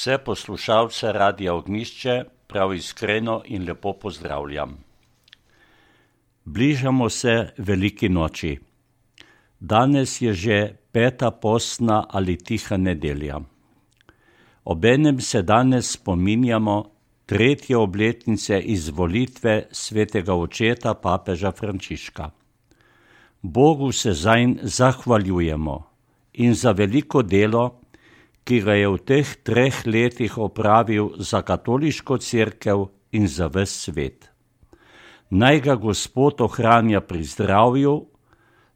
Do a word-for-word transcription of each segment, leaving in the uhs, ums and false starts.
Vse poslušalce Radia Ognjišče prav iskreno in lepo pozdravljam. Bližamo se veliki noči. Danes je že peta postna ali tiha nedelja. Obenem se danes spominjamo tretje obletnice izvolitve svetega očeta papeža Frančiška. Bogu se zanj zahvaljujemo in za veliko delo, ki ga je v teh treh letih opravil za katoliško cerkev in za ves svet. Naj ga Gospod ohranja pri zdravju,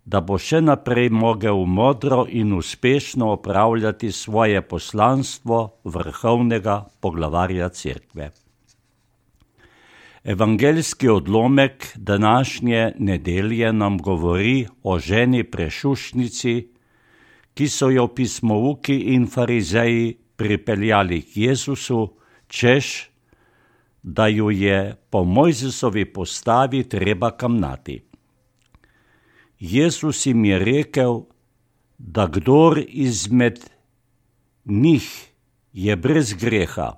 da bo še naprej mogel modro in uspešno opravljati svoje poslanstvo vrhovnega poglavarja cerkve. Evangeljski odlomek današnje nedelje nam govori o ženi prešušnici, ki so jo pismouki in farizeji pripeljali k Jezusu, češ, da ju je po Mojzesovi postavi treba kamnati. Jezus jim je rekel, da kdor izmed njih je brez greha,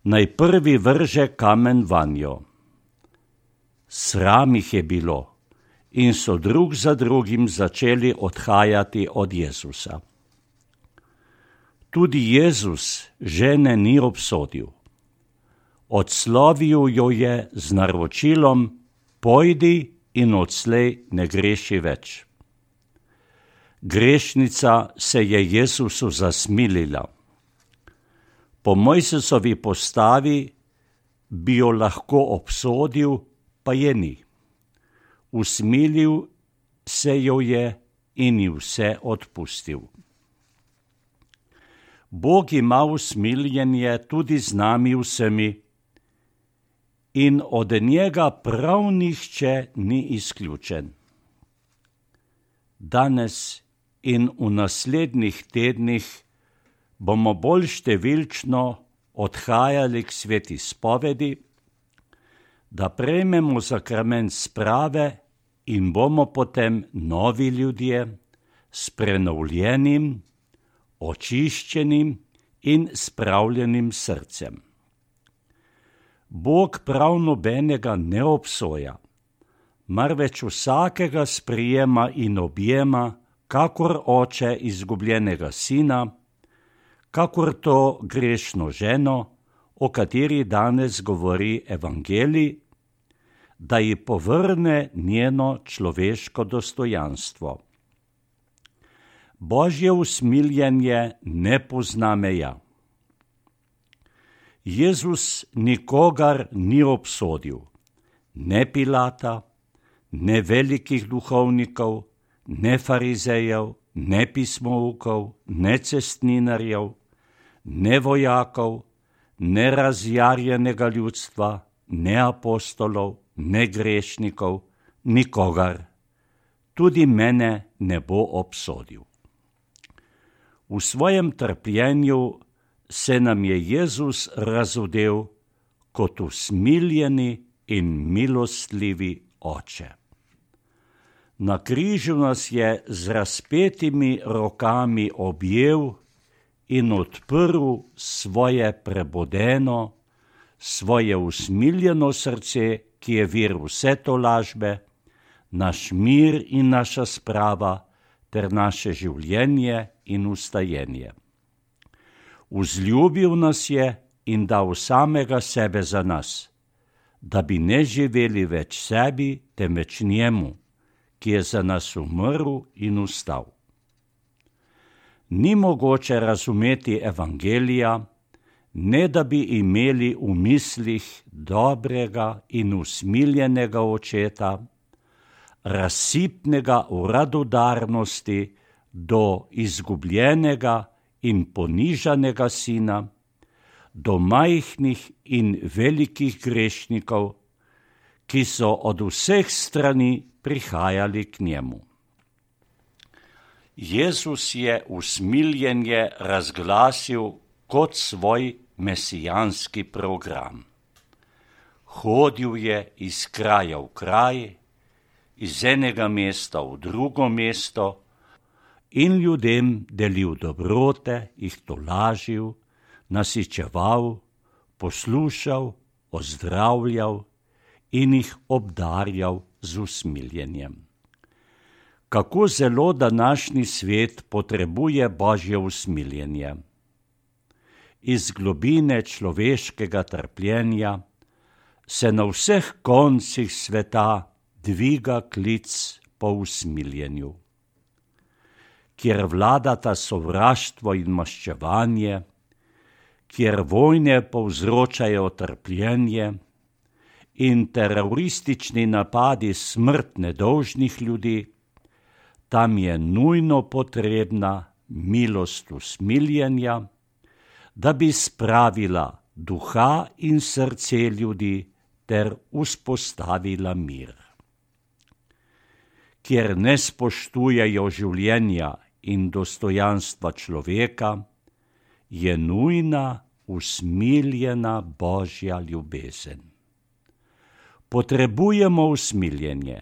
naj prvi vrže kamen vanjo. Sram jih je bilo in so drug za drugim začeli odhajati od Jezusa. Tudi Jezus žene ni obsodil. Odslovil jo je z naročilom: pojdi in odslej ne greši več. Grešnica se je Jezusu zasmilila. Po Mojzesovi postavi bi jo lahko obsodil, pa je ni. Usmilil se jo je in ji vse odpustil. Bog ima usmiljenje tudi z nami vsemi in od njega prav nihče ni izključen. Danes in v naslednjih tednih bomo bolj številčno odhajali k sveti spovedi, da prejmemo sakrament sprave in bomo potem novi ljudje s prenovljenim, očiščenim in spravljenim srcem. Bog prav nobenega ne obsoja, marveč vsakega sprijema in objema, kakor oče izgubljenega sina, kakor to grešno ženo, o kateri danes govori evangelij, da ji povrne njeno človeško dostojanstvo. Božje usmiljenje ne pozna meja. Jezus nikogar ni obsodil, ne Pilata, ne velikih duhovnikov, ne farizejev, ne pismoukov, ne cestninarjev, ne vojakov, ne razjarjenega ljudstva, ne apostolov, ne grešnikov, nikogar. Tudi mene ne bo obsodil. V svojem trpljenju se nam je Jezus razodel kot usmiljeni in milostljivi oče. Na križu nas je z razpetimi rokami objel in odprl svoje prebodeno, svoje usmiljeno srce, ki je vir vse tolažbe, naš mir in naša sprava ter naše življenje in ustajenje. Vzljubil nas je in dal samega sebe za nas, da bi ne živeli več sebi, temveč njemu, ki je za nas umrl in vstal. Ni mogoče razumeti evangelija, ne da bi imeli v mislih dobrega in usmiljenega očeta, razsipnega v radodarnosti do izgubljenega in ponižanega sina, do majhnih in velikih grešnikov, ki so od vseh strani prihajali k njemu. Jezus je usmiljenje razglasil kot svoj mesijanski program. Hodil je iz kraja v kraj, iz enega mesta v drugo mesto in ljudem delil dobrote, jih tolažil, nasičeval, poslušal, ozdravljal in jih obdarjal z usmiljenjem. Kako zelo današnji svet potrebuje Božje usmiljenje. Iz globine človeškega trpljenja se na vseh koncih sveta dviga klic po usmiljenju. Kjer vladata sovraštvo in maščevanje, kjer vojne povzročajo trpljenje in teroristični napadi smrt nedolžnih ljudi, tam je nujno potrebna milost usmiljenja, da bi spravila duha in srce ljudi ter vzpostavila mir. Kjer ne spoštujejo življenja in dostojanstva človeka, je nujna usmiljena Božja ljubezen. Potrebujemo usmiljenje,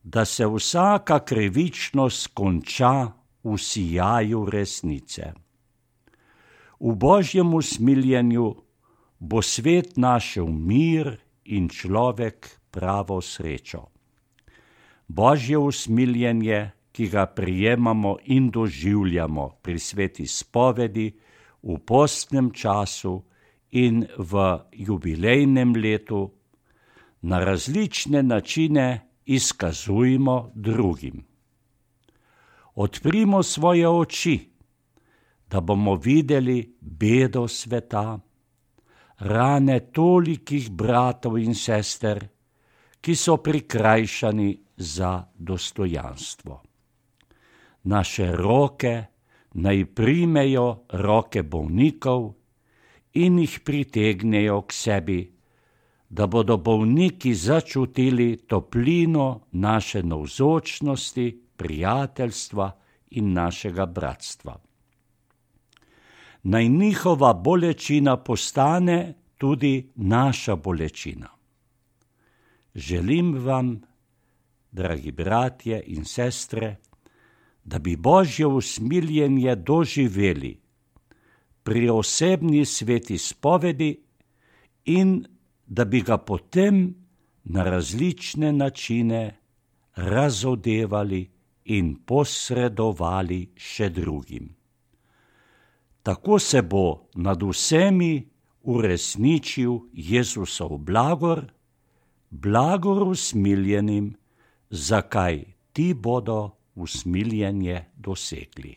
da se vsaka krivičnost konča v sijaju resnice. V Božjem usmiljenju bo svet našel mir in človek pravo srečo. Božje usmiljenje, ki ga prijemamo in doživljamo pri sveti spovedi, v postnem času in v jubilejnem letu, na različne načine izkazujmo drugim. Odprimo svoje oči, da bomo videli bedo sveta, rane tolikih bratov in sester, ki so prikrajšani za dostojanstvo. Naše roke naj primejo roke bolnikov in jih pritegnejo k sebi, da bodo bolniki začutili toplino naše navzočnosti, prijateljstva in našega bratstva. Naj njihova bolečina postane tudi naša bolečina. Želim vam, dragi bratje in sestre, da bi Božje usmiljenje doživeli pri osebni sveti spovedi in da bi ga potem na različne načine razodevali in posredovali še drugim. Tako se bo nad vsemi uresničil Jezusov blagor, blagor usmiljenim, zakaj ti bodo usmiljenje dosegli.